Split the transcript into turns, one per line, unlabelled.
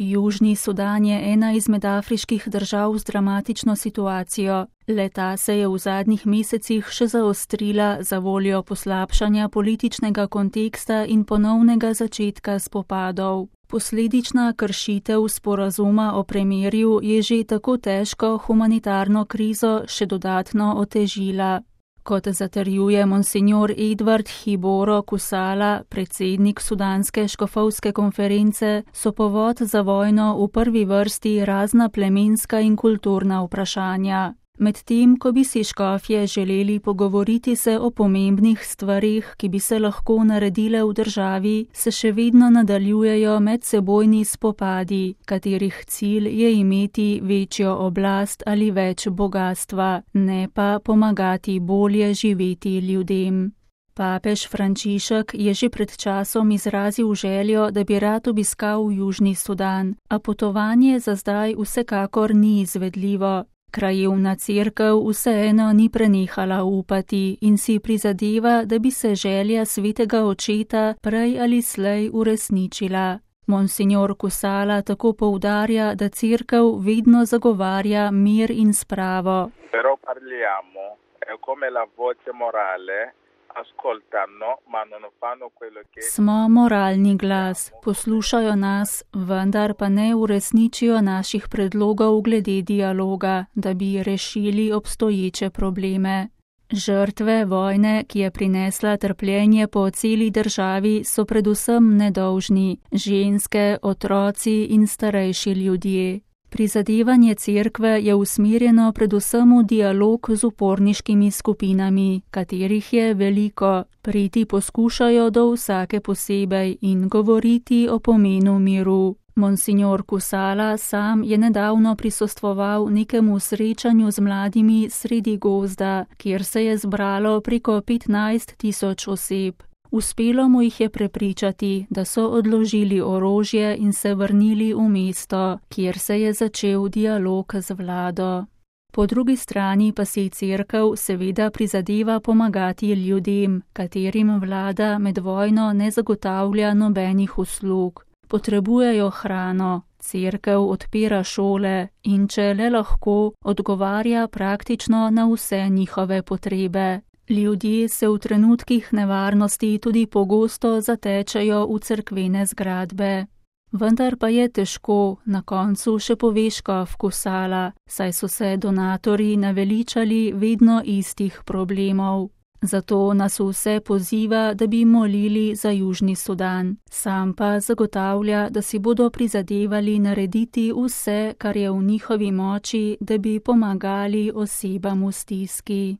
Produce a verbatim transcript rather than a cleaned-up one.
Južni Sudan je ena izmed afriških držav z dramatično situacijo. Le-ta se je v zadnjih mesecih še zaostrila za voljo poslabšanja političnega konteksta in ponovnega začetka spopadov. Posledična kršitev sporazuma o premirju je že tako težko humanitarno krizo še dodatno otežila. Kot zatrjuje monsignor Edward Hiboro Kusala, predsednik sudanske škofovske konference, so povod za vojno v prvi vrsti razna plemenska in kulturna vprašanja. Medtem, ko bi si škofje želeli pogovoriti se o pomembnih stvarih, ki bi se lahko naredile v državi, se še vedno nadaljujejo medsebojni spopadi, katerih cilj je imeti večjo oblast ali več bogastva, ne pa pomagati bolje živeti ljudem. Papež Frančišek je že pred časom izrazil željo, da bi rad obiskal Južni Sudan, a potovanje za zdaj vsekakor ni izvedljivo. Krajevna cerkev vseeno ni prenehala upati in si prizadeva, da bi se želja svetega očeta prej ali slej uresničila. Monsignor Kusala tako poudarja, da cerkev vedno zagovarja mir in spravo.
Però parliamo, è come la voce morale.
Smo moralni glas, poslušajo nas, vendar pa ne uresničijo naših predlogov glede dialoga, da bi rešili obstoječe probleme. Žrtve vojne, ki je prinesla trpljenje po celi državi, so predvsem nedolžni, ženske, otroci in starejši ljudje. Prizadevanje cerkve je usmerjeno predvsem v dialog z uporniškimi skupinami, katerih je veliko. Priti poskušajo do vsake posebej in govoriti o pomenu miru. Monsignor Kusala sam je nedavno prisostvoval nekemu srečanju z mladimi sredi gozda, kjer se je zbralo preko petnajst tisoč oseb. Uspelo mu jih je prepričati, da so odložili orožje in se vrnili v mesto, kjer se je začel dialog z vlado. Po drugi strani pa si cerkev seveda prizadeva pomagati ljudem, katerim vlada med vojno ne zagotavlja nobenih uslug. Potrebujejo hrano, cerkev odpira šole in če le lahko, odgovarja praktično na vse njihove potrebe. Ljudje se v trenutkih nevarnosti tudi pogosto zatečejo v cerkvene zgradbe. Vendar pa je težko, na koncu še pove škof Kusala, saj so se donatorji naveličali vedno istih problemov. Zato nas vse poziva, da bi molili za Južni Sudan. Sam pa zagotavlja, da si bodo prizadevali narediti vse, kar je v njihovi moči, da bi pomagali osebam v stiski.